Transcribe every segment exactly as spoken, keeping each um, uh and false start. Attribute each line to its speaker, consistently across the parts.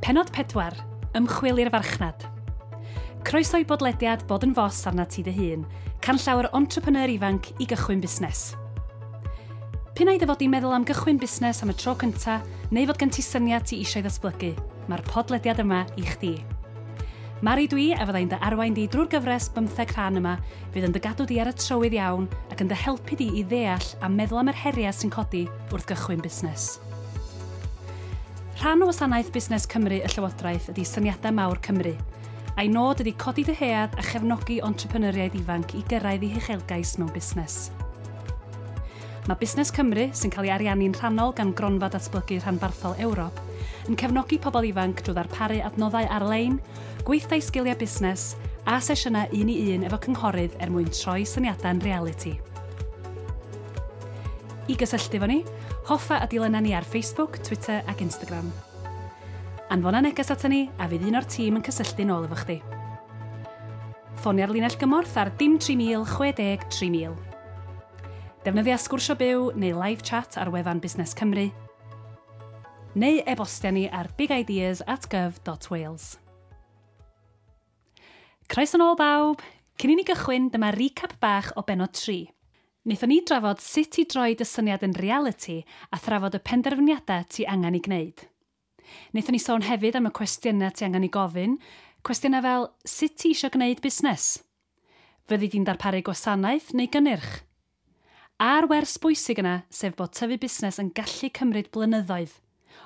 Speaker 1: Pennod pedwar. Ymchwil i'r farchnad. Croeso i bodlediad Bod yn Fos arna ti dy hun, canllaw yr entrepreneur ifanc i gychwyn busnes. P'un ai dy fod di'n meddwl am gychwyn busnes am y tro cynta, neu fod gen ti syniad ti eisiau ddatblygu, mae'r podlediad yma i chdi. Mari dwi a fyddai'n dy arwain di drwy'r gyfres bymtheg rhan yma, fydd yn dy gadw di ar y trywydd iawn ac yn dy helpu di i ddeall a meddwl am yr heriau sy'n codi wrth gychwyn busnes. Rhan o wasanaeth Busnes Cymru y Llywodraeth ydy Syniadau Mawr Cymru, a'i nod ydy codi dyhead a chefnogi entrepreneuriaid ifanc i gyrraedd eu huchelgais mewn busnes. Mae Busnes Cymru, sy'n cael ei ariannu'n rhannol gan Gronfa Datblygu Rhanbarthol Ewrop, yn cefnogi pobl ifanc drwy ddarparu adnoddau ar-lein, gweithdai sgiliau busnes a sesiynau un i un efo cynghorydd er mwyn troi syniadau'n realiti. I gysylltu efo ni, hoffa a dilyna ni ar Facebook, Twitter ac Instagram. Anfona neges ata ni a fydd un o'r tîm yn cysylltu nôl efo chdi. Ffonia'r linell gymorth ar dim tri mil chwe deg tri mil. Defnyddia sgwrsio byw neu live chat ar wefan Busnes Cymru, neu e-bostia ni ar bigideas at gov dot wales. Croeso nôl bawb! Cyn i ni gychwyn, dyma recap bach o bennod tri. Wnaethon ni drafod sut i droi dy syniad yn realiti a thrafod y penderfyniadau ti angen i gwneud. Wnaethon ni sôn hefyd am y cwestiynau ti angen i gofyn, cwestiynau fel sut ti eisiau gwneud busnes? Fyddi di'n darparu gwasanaeth neu gynnyrch? A'r wers bwysig yna, sef bod tyfu busnes yn gallu cymryd blynyddoedd.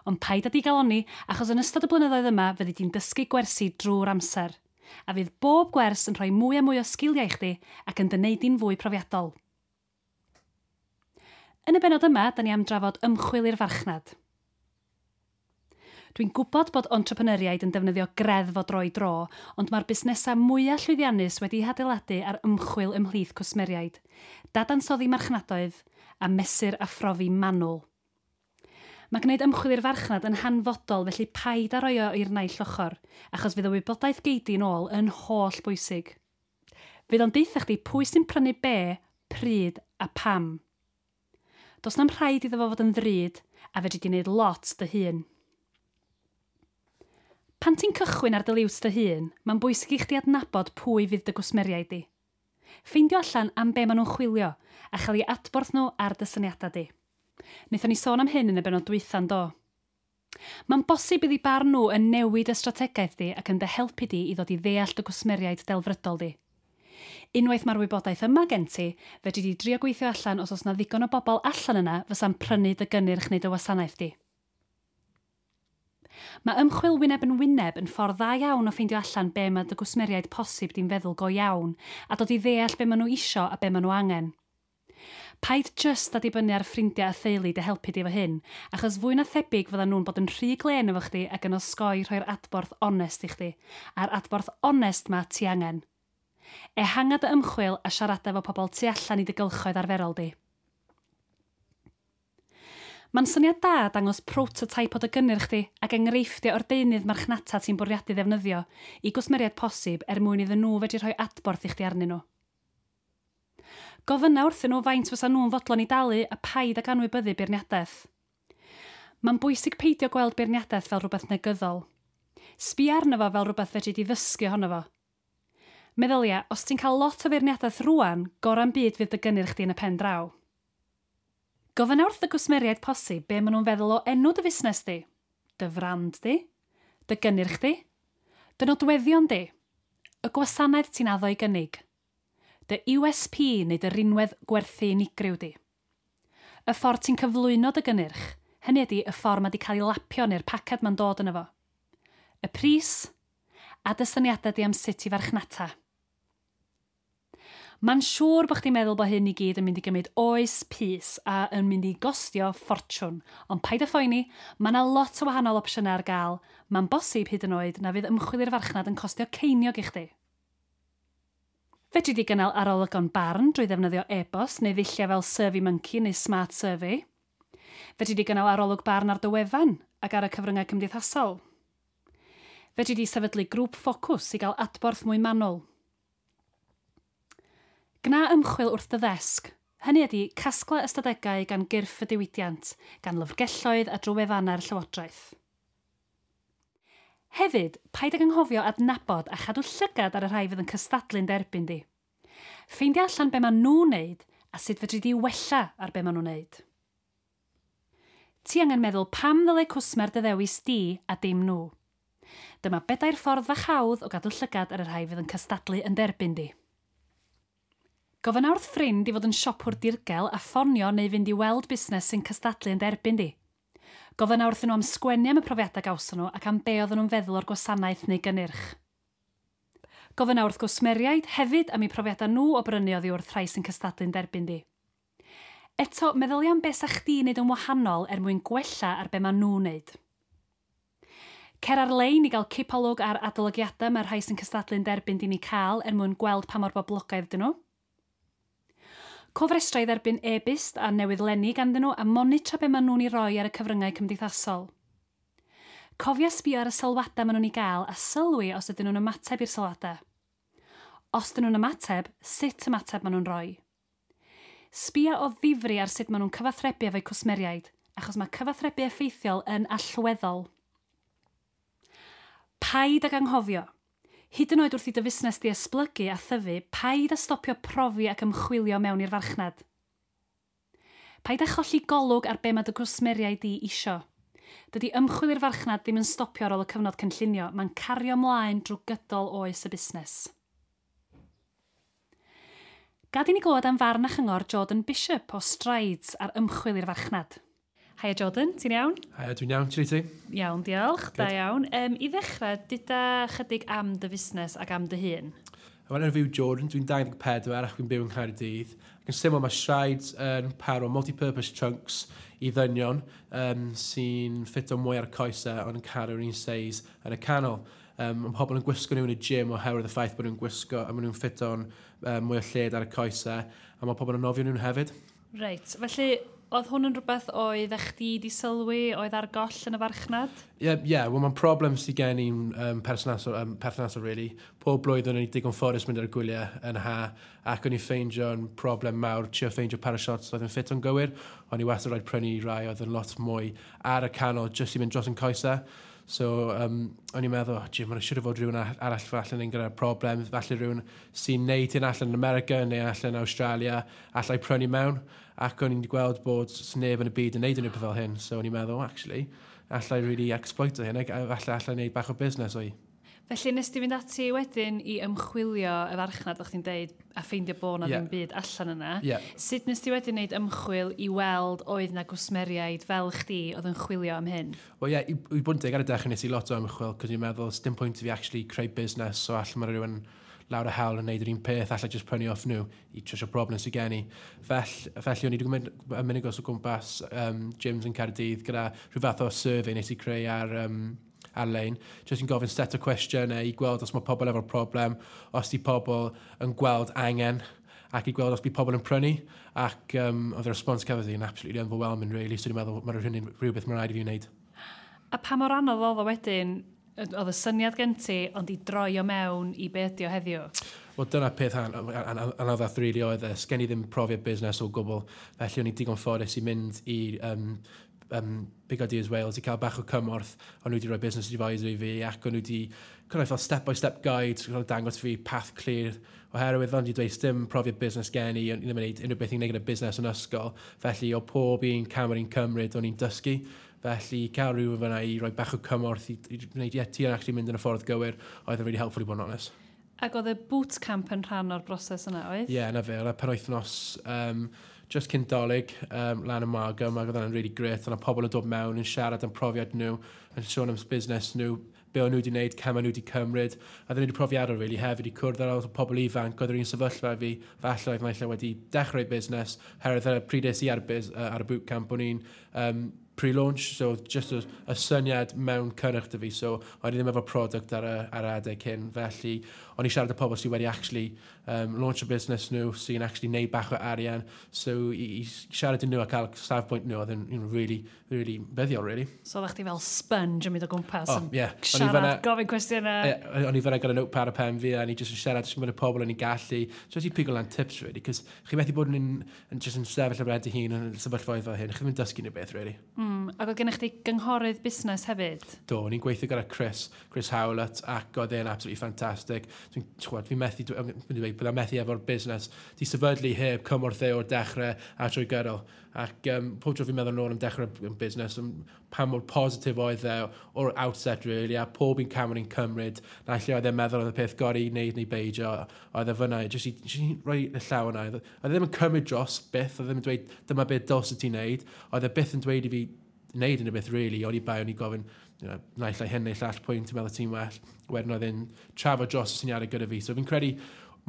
Speaker 1: Ond paid â digalonni, achos yn ystod y blynyddoedd yma fyddi di'n dysgu gwersi drwy'r amser. A fydd bob gwers yn rhoi mwy a mwy o sgiliau i chdi ac yn dy wneud di'n fwy profiadol. Yn y bennod yma, da ni am drafod ymchwil i'r farchnad. Dwi'n gwybod bod entrepreneuriaid yn defnyddio greddf o dro i dro, ond mae'r busnesau mwyaf llwyddiannus wedi'u hadeiladu ar ymchwil ymhlith cwsmeriaid, dadansoddi marchnadoedd a mesur a phrofi manwl. Mae gwneud ymchwil i'r farchnad yn hanfodol, felly paid â roi o i'r naill ochr, achos fydd y wybodaeth gei di nôl yn holl bwysig. Fydd o'n deutha chdi pwy sy'n prynu be, pryd a pam. Does na'm rhaid iddo fo fod yn ddrud, a fedri di wneud lot dy hun. Pan ti'n cychwyn ar dy liwt dy hun, mae'n bwysig i chdi adnabod pwy fydd dy gwsmeriaid di. Ffeindio allan am be maen nhw'n chwilio a chael eu adborth nhw ar dy syniadau di. Wnaethon ni sôn am hyn yn y bennod dwytha'n do. Mae'n bosib iddi barn nhw yn newid y strategaeth di ac yn dy helpu di i ddod i ddeall dy gwsmeriaid delfrydol di. Unwaith mae'r wybodaeth yma gen ti, fedri di drio gweithio allan os oes na ddigon o bobl allan yna fysa'n prynu dy gynnyrch neu dy wasanaeth di. Mae ymchwil wyneb yn wyneb yn ffordd dda iawn o ffeindio allan be mae dy gwsmeriaid posib di'n feddwl go iawn a dod i ddeall be maen nhw isio a be maen nhw angen. Paid jyst â dibynnu ar ffrindiau a theulu dy helpu di efo hyn, achos fwy na thebyg fyddan nhw'n bod yn rhy glên efo chdi ac yn osgoi rhoi'r adborth onest i chdi, a'r adborth onest ma ti angen. Ehanga dy ymchwil a siarada efo pobl tu allan i dy gylchoedd arferol di. Mae'n syniad da dangos prototype o dy gynnyrch di ac enghreifftiau o'r deunydd marchnata ti'n bwriadu ddefnyddio i gwsmeriaid posib er mwyn iddyn nhw fedru rhoi adborth i chdi arnyn nhw. Gofynna wrthyn nhw faint fysa nhw'n fodlon i dalu a paid ag anwybyddu beirniadaeth. Mae'n bwysig peidio gweld beirniadaeth fel rhywbeth negyddol. Sbia arno fo fel rhywbeth fedri di ddysgu ohono fo. Meddylia, os ti'n cael lot o feirniadaeth rŵan, gora'n byd fydd dy gynnyrch di yn y pen draw. Gofynna wrth y gwsmeriaid posib be maen nhw'n feddwl o enw dy fusnes di, dy frand di, dy gynnyrch di, dy nodweddion di, y gwasanaeth ti'n addo i gynnig, dy U S P neu dy rinwedd gwerthu unigryw di. Y ffordd ti'n cyflwyno dy gynnyrch, hynny ydi y ffordd mae di cael ei lapio neu'r paced mae'n dod yno fo. Y pris a dy syniadau di am sut i farchnata. Mae'n siŵr bod chdi'n meddwl bod hyn i gyd yn mynd i gymryd oes pys a yn mynd i gostio ffortiwn. Ond paid â phoeni, mae yna lot o wahanol opsiynau ar gael. Mae'n bosib hyd yn oed na fydd ymchwil i'r farchnad yn costio ceiniog i chdi. Fedri di gynnal arolygon barn drwy ddefnyddio e-bost neu ddulliau fel SurveyMonkey neu Smart Survey. Fedri di gynnal arolwg barn ar dy wefan ac ar y cyfryngau cymdeithasol. Fedri di sefydlu grŵp ffocws i gael adborth mwy manwl. Gna ymchwil wrth dy ddesg. Hynny ydy casglu ystadegau gan gyrff y diwydiant, gan lyfrgelloedd a drwy wefannau'r llywodraeth. Hefyd, paid ag anghofio adnabod a chadw llygad ar y rhai fydd yn cystadlu'n derbyn di. Ffeindio allan be maen nhw'n neud a sut fedri di wella ar be maen nhw'n neud. Ti angen meddwl pam ddylai cwsmer dy ddewis di a dim nhw. Dyma bedair ffordd fach hawdd o gadw llygad ar y rhai fydd yn cystadlu yn derbyn di. Gofynna wrth ffrind i fod yn siopwr dirgel a ffonio neu fynd i weld busnes sy'n cystadlu yn derbyn di. Gofynna wrthyn nhw am sgwennu am y profiadau gawson nhw ac am be oedden nhw'n feddwl o'r gwasanaeth neu gynnyrch. Gofynna wrth gwsmeriaid hefyd am eu profiadau nhw o brynu oddi wrth rhai sy'n cystadlu'n derbyn di. Eto, meddylia am beth sa chdi wneud yn wahanol er mwyn gwella ar be maen nhw'n wneud. Cer ar-lein i gael cipolwg ar adolygiadau mae'r rhai sy'n cystadlu'n derbyn di'n ei cael er mwyn gweld pa mor boblogaidd dyn nhw. Cofrestra i dderbyn e-byst a newyddlenni ganddyn nhw a monitro be maen nhw'n ei roi ar y cyfryngau cymdeithasol. Cofia sbio ar y sylwadau maen nhw'n ei gael a sylwi os ydyn nhw'n ymateb i'r sylwadau. Os ydyn nhw'n ymateb, sut ymateb maen nhw'n rhoi. Sbia o ddifri ar sut maen nhw'n cyfathrebu efo'u cwsmeriaid, achos mae cyfathrebu effeithiol yn allweddol. Paid ag anghofio. Hyd yn oed wrth i dy fusnes di esblygu a thyfu, paid â stopio profi ac ymchwilio mewn i'r farchnad. Paid â cholli golwg ar be mae dy gwsmeriaid di isio. Dydy ymchwil i'r farchnad ddim yn stopio ar ôl y cyfnod cynllunio, mae'n cario ymlaen drwy gydol oes y busnes. Gad i ni glywed am farn a chyngor Jordan Bishop o Strides ar ymchwil i'r farchnad. Haia Jordan, ti'n iawn?
Speaker 2: Haia, dwi'n iawn, ti'n ti?
Speaker 1: Iawn, diolch, da iawn. Um, I ddechrau, dyda chydig am dy fusnes ac am dy hun.
Speaker 2: Wel, enw fi yw Jordan, dwi'n dau ddeg pedwar ac dwi'n byw yng Nghaerdydd. Ac yn syml, mae Strides yn par o multi-purpose trunks i ddynion um, sy'n ffito mwy ar y coesau ond yn caru'r un seis yn y canol. Um, mae pobl yn gwisgo nhw yn y gym oherwydd y ffaith bod nhw'n gwisgo a maen nhw'n ffito'n um, mwy o lled ar y coesau a mae pobl yn nofio nhw'n hefyd.
Speaker 1: Reit, felly oedd hwn yn rhywbeth oedd chdi di sylwi, oedd ar goll yn y farchnad?
Speaker 2: Ie, yeah, yeah, wel mae'n problem sydd gen i'n um, perthnasol, um, perthnasol, really. Pob blwyddyn o'n i digon ffodus mynd ar y gwyliau yn ha, ac o'n i ffeindio'n problem mawr, trio ffeindio par o shorts oedd yn ffit o'n gywir. O'n i wastad rhaid prynu rai oedd yn lot mwy ar y canol, jyst i mynd dros yn coesau. So, um, o'n i'n meddwl, oh, Jim, mae'n siŵr o fod rhywun arall falle yn gyda'r problem, falle rhywun sy'n neud hyn allan yn America neu allan yn Australia, allai prynu mewn. Ac o'n i'n gweld bod neb yn y byd yn neud unrhyw beth fel hyn. So o'n i'n meddwl, actually, allai really exploit o hyn, ac falle allai neud bach o busnes o'i.
Speaker 1: Felly nes ti fynd ati wedyn i ymchwilio y farchnad, o'ch ti'n deud, a ffeindio bod na
Speaker 2: yeah.
Speaker 1: ddim byd allan yna.
Speaker 2: Yeah.
Speaker 1: Sut nes ti wedyn wneud ymchwil i weld oedd na gwsmeriaid fel chdi oedd yn chwilio am hyn?
Speaker 2: Wel ie, yeah, i, i bod yn deg ar y dechrau nes i lot o ymchwil, cos i'n meddwl, dim pwynt i fi actually creu busnes, so allan mae rhywun lawr y hewl yn neud yr un peth, allai just prynu off nhw i trwsio problem sydd gen i. Fell, felly o'n i wedi mynd yn mynd o gwmpas um, gyms yn Caerdydd gyda rhyw fath o survey nes i creu ar, um, ar-lein, jyst yn gofyn set o cwestiynau i gweld os mae pobl efo'r problem, os di pobl yn gweld angen, ac i gweld os bydd pobl yn prynu, ac um, oedd y response cafodd i yn absolutely overwhelming, really, so dwi'n meddwl mae'n rhywun rhywbeth mae'n rhaid i fi wneud.
Speaker 1: A pa mor anodd oedd o wedyn, oedd y syniad gen ti, ond i droi o mewn i be ydi o heddiw?
Speaker 2: Wel, dyna peth anoddach really oedd e. Sgen i ddim profiad busnes o gwbl, felly o'n i digon ffodus i mynd i um, um, Big Ideas Wales i cael bach o cymorth. O'n nhw wedi rhoi business advisor i fi ac o'n nhw wedi kind of fel step-by-step guide, kind of dangos fi path clear oherwydd fel wedi dweud, dim profiad busnes gen i, o'n i ddim yn gwneud unrhyw beth i'n gwneud gyda busnes yn ysgol, felly o pob un cam o'n i'n cymryd, o'n i'n dysgu. Felly cael rhywun fyna i roi bach o cymorth i, i wneud, ie, ti yn actually mynd yn y ffordd gywir, oedd yn really helpful i bod yn honest.
Speaker 1: Ac oedd y bootcamp yn rhan o'r broses yna, oedd?
Speaker 2: Ie, yeah, na fe, oedd y penwythnos um, just cyn Dolig, um, lan y Margam, ac oedd hwnna'n really great. Oedd pobl yn dod mewn yn siarad am profiad nhw, yn sôn am busnes nhw, be o'n nhw wedi wneud, cam o'n nhw wedi cymryd. A oedden nhw wedi profiadol, really, hefyd i cwrdd â lot o pobl ifanc, oedd yr un sefyllfa fi, falle oedd naill ai wedi dechrau busnes, herwydd ar y pryd es i ar y, bus, uh, ar y bootcamp, o'n i'n um, pre-launch, so just y, y syniad mewn cynnyrch dy fi, so o'n i ddim efo product ar y, ar y adeg hyn, felly o'n i siarad â pobl sydd wedi actually um, launch a business nhw, sy'n actually neud bach o arian, so i, i siarad i nhw a cael safbwynt nhw, oedd yn you know, really, really buddiol, really.
Speaker 1: So oeddech chdi fel sponge yn mynd o gwmpas
Speaker 2: Oh,
Speaker 1: yn
Speaker 2: yeah. O'n i
Speaker 1: siarad,
Speaker 2: fan'na-
Speaker 1: gofyn cwestiynau.
Speaker 2: Yeah, o'n i fyna gyda notepad a pen fi a ni jyst yn siarad jyst gyda pobl o'n i gallu, just i pigo lan tips, really, cos chi methu bod yn, yn, just yn sefyll ar ben dy hun yn sefyllfaoedd fel hyn, chi ddim yn dysgu unrhyw beth, really.
Speaker 1: Mm, ac oedd gennych chi gynghorydd busnes hefyd?
Speaker 2: Do, o'n i'n gweithio gyda Chris, Chris Howlett, ac oedd e'n absolutely fantastic. Dwi'n, chwad, fi'n methu, dwi'n dweud, byddai'n methu efo'r busnes. Di sefydlu heb cymorth e o'r dechrau a trwy gydol. Ac um, pob tro fi'n meddwl nôl am dechrau yn busnes, am pa mor positif oedd e o'r outset, really, a pob un cam o'n i'n cymryd, na lle oedd e'n meddwl oedd y peth gorau i wneud neu beidio, oedd e fyna, jyst i, jyst i roi y llaw yna. Oedd e ddim yn cymryd dros byth, oedd e ddim yn dweud dyma beth dylse ti'n neud, oedd e byth yn dweud i fi wneud unrhyw beth, really, o'n i bai o'n i gofyn, you know, naill ai hyn neu llall, pwynt ti'n meddwl ti'n well. Wedyn oedd e'n trafod dros y syniadau gyda fi. So fi'n credu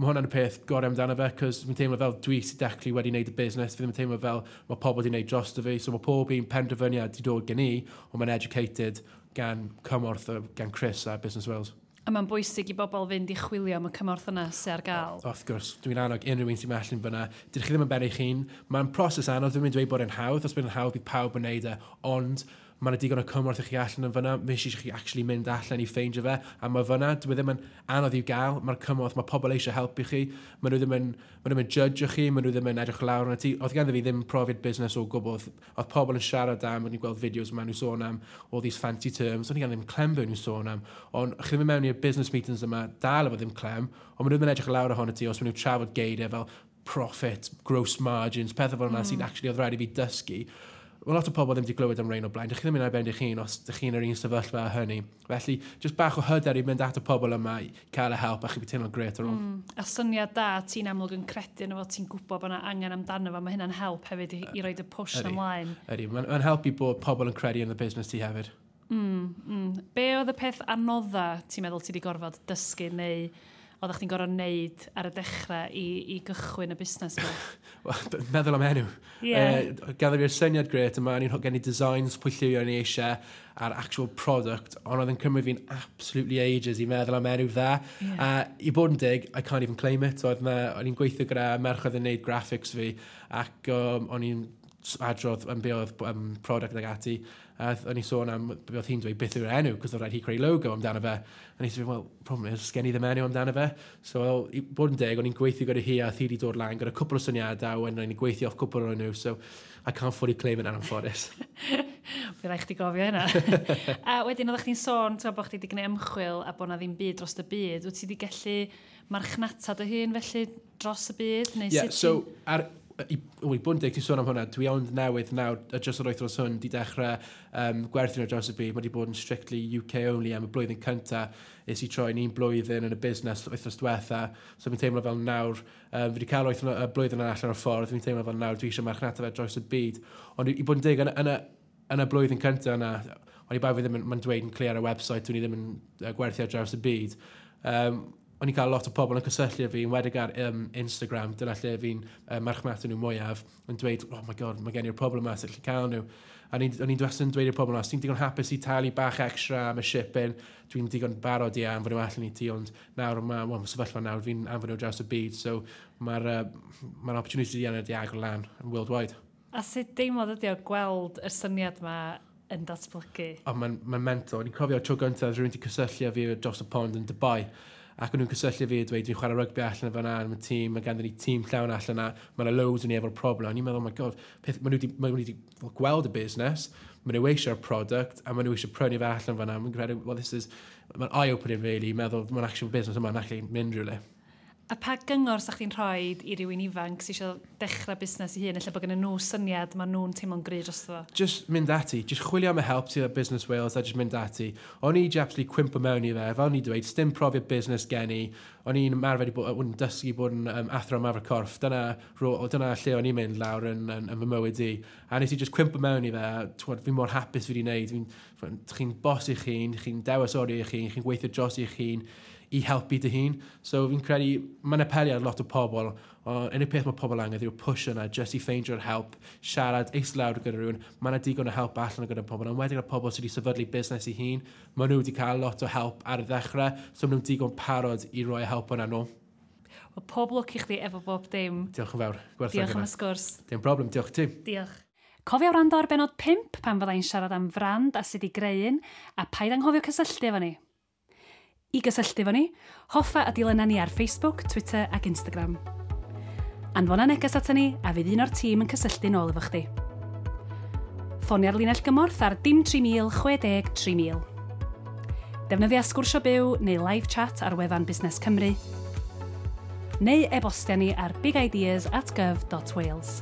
Speaker 2: mae hwnna'n y peth gorau amdano fe, cos fi'n teimlo fel dwi sydd dechrau wedi wneud y busnes, fi ddim yn teimlo fel mae pobl wedi wneud dros fi, so mae pob un penderfyniad wedi dod gen i, ond mae'n educated gan cymorth gan Chris a Business Wales.
Speaker 1: A mae'n bwysig i bobl fynd i chwilio am y cymorth yna sydd ar gael.
Speaker 2: Wrth gwrs, dwi'n annog unrhyw un sy'n allan fyna. Dydych chi ddim yn ben eich hun. Mae'n proses anodd, dwi'n mynd dweud bod e'n hawdd. Os bydd yn hawdd, bydd pawb yn neud e. Ond mae yna digon o cymorth i chi allan yn fyna. Mae eisiau chi actually mynd allan i ffeindio fe. A mae fyna, dwi ddim yn anodd i'w gael. Mae'r cymorth, mae pobl eisiau helpu chi. Mae nhw ddim yn, mae nhw ddim yn judge chi, mae nhw ddim yn edrych lawr arno ti. Oedd ganddo fi ddim profiad busnes o gwbl. Oedd pobl yn siarad am, o'n i'n gweld fideos yma nhw'n sôn am all these fancy terms. O'n i gan ddim clem be nhw'n sôn am. Ond chi ddim yn mewn i'r business meetings yma, dal efo ddim clem, ond maen nhw ddim yn edrych lawr ohono ti os maen nhw'n trafod geiriau fel profit, gross margins, pethau fel yna mm. sy'n actually oedd rhaid i fi dysgu. Mae lot o pobl ddim wedi glywed am rhain o blaen. Dych chi ddim yn ar ben eich hun os dych chi'n yr un sefyllfa a hynny. Felly, jyst bach o hyder i mynd at y pobl yma i cael y help a chi bydd teimlo'n gret ar ôl.
Speaker 1: Mm. A syniad da, ti'n amlwg yn credu yno fo, ti'n gwybod bod yna angen amdano fo, mae hynna'n help hefyd i, i roed y push ymlaen.
Speaker 2: Ydy, mae'n ma helpu bod pobl yn credu yn y busnes ti hefyd.
Speaker 1: Mm, mm. Be oedd y peth anodda ti'n meddwl ti wedi gorfod dysgu neu oeddech chdi'n gorfod wneud ar y dechrau i, i gychwyn y busnes yma?
Speaker 2: Well, meddwl am enw.
Speaker 1: Yeah.
Speaker 2: Uh, Gaddo fi'r syniad gret yma, o'n i'n gen i designs pwy lliwio o'n i eisiau a'r actual product, ond oedd yn cymryd fi'n absolutely ages i meddwl am enw dda.
Speaker 1: Yeah.
Speaker 2: A i bod yn dig, I can't even claim it. Oedd na, o'n i'n gweithio gyda merch oedd yn neud graphics fi, ac um, o'n i'n adrodd am be oedd um, product ag ati. A o'n i sôn am be oedd hi'n dweud beth yw'r enw, cos oedd rhaid hi creu logo amdano fe. A nes i fel, well, problem is, sgen i ddim enw amdano fe. So, well, i bod yn deg, o'n i'n gweithio gyda hi a hi wedi dod lan gyda cwpl o syniadau, a o'n i'n gweithio off cwpl o'n nhw, so I can't fully claim it anffodus.
Speaker 1: Fydd rhaid chdi gofio hynna. A wedyn oeddech chdi'n sôn, ti'n bod chdi wedi gwneud ymchwil a bod na ddim byd dros y byd. Wyt ti wedi gallu marchnata dy hun felly dros y byd? Neu
Speaker 2: yeah,
Speaker 1: sut
Speaker 2: so, ar, i, o, i bod yn deg, ti'n sôn am hwnna, dwi ond newydd nawr, dros yr wythnos hwn, di dechrau um, gwerthu nhw dros y byd. Mae di bod yn strictly U K only am y blwyddyn cynta. Es i troi'n un blwyddyn yn y busnes wythnos diwetha. So fi'n teimlo fel nawr, um, fi wedi cael wythnos, y blwyddyn yna allan o'r ffordd, fi'n teimlo fel nawr dwi eisiau marchnata fe dros y byd. Ond i, i bod yn deg, yn, yn, y, yn y blwyddyn cynta yna, ond i bai fi ddim yn, mae'n dweud yn clir ar y website, dwi'n i ddim yn uh, gwerthu ar draws y byd. Um, o'n i'n cael lot o pobl yn cysylltu â fi, yn wedig ar um, Instagram, dyna lle fi'n uh, marchnata nhw mwyaf, yn dweud, "Oh my God, mae gen i'r problem yma, sut lle cael nhw?" A o'n i'n wastad yn dweud i'r pobl yma, os ti'n digon hapus i talu bach extra am y shipping, dwi'n digon barod i anfon nhw allan i ti, ond nawr mae, well, mae sefyllfa nawr, fi'n anfon nhw draws y byd, so mae'r uh, ma opportunity yna di agor lan yn worldwide.
Speaker 1: A sut deimlad ydi o gweld y syniad yma yn datblygu?
Speaker 2: O, mae'n ma mental. O'n i'n cofio tro gyntaf rhywun wedi cysylltu â fi dros y pond yn Dubai. Ac o'n nhw'n cysylltu fi a dweud, "Dwi'n chwarae rygbi allan fyna, yn y tîm, mae ganddyn ni tîm llawn allan yna, mae yna loads o'n ni efo'r problem." O'n i'n meddwl, "Oh my God, peth, maen nhw wedi, maen nhw wedi gweld y busnes, maen nhw eisiau'r product, a maen nhw eisiau prynu fe allan fyna." Mae'n credu, well, this is, mae'n eye-opening really, meddwl, mae'n actual business yma'n actually mynd rhywle.
Speaker 1: A pa gyngor sa chdi'n rhoi i rywun ifanc sydd eisiau dechrau busnes i hun, lle bod gen nhw syniad, maen nhw'n teimlo'n gry drosto fo?
Speaker 2: Just mynd ati, just chwilio am y help sydd at Business Wales a just mynd ati. O'n i absolutely cwympo mewn i fe, fel o'n i dweud, dim profiad busnes gen i. O'n i'n ymarfer i bod, o'n dysgu bod yn um, athro ymarfer corff. Dyna, dyna lle o'n i'n mynd lawr yn, yn, yn fy mywyd i. A nes i just cwympo mewn i fe, a twod, fi mor hapus fi wedi wneud. Fi'n, chi'n boss i'ch hun, chi'n dewis oriau i'ch hun, chi'n gweithio dros i'ch hun i helpu dy hun. So fi'n credu, mae'n apelio ar lot o pobl, ond unig peth mae pobl angen yw'r push yna, just i ffeindio'r help, siarad, eistedd lawr gyda rhywun, mae yna digon o help allan gyda pobl, ond wedyn gyda pobl sydd wedi sefydlu busnes i hun, maen nhw wedi cael lot o help ar y ddechrau, so maen nhw'n digon parod i roi help yna nhw.
Speaker 1: Wel, pob lwc i chdi efo bob dim.
Speaker 2: Diolch yn fawr. Gwerthfawrogi
Speaker 1: Diolch am
Speaker 2: hynna.
Speaker 1: y sgwrs.
Speaker 2: Dim problem, diolch ti.
Speaker 1: Diolch. Cofio wrando ar benod pump pan fyddai'n siarad am frand a sut i greu un, a paid anghofio cysylltu efo ni. I gysylltu efo ni, hoffa a dilyna ni ar Facebook, Twitter ac Instagram. Anfona neges ata ni a fydd un o'r tîm yn cysylltu nôl efo chdi. Ffonia'r linell gymorth ar dim tri mil chwe deg tri mil. Defnyddia sgwrsio byw neu live chat ar wefan Busnes Cymru. Neu e-bostia ni ar bigideas at gov dot wales.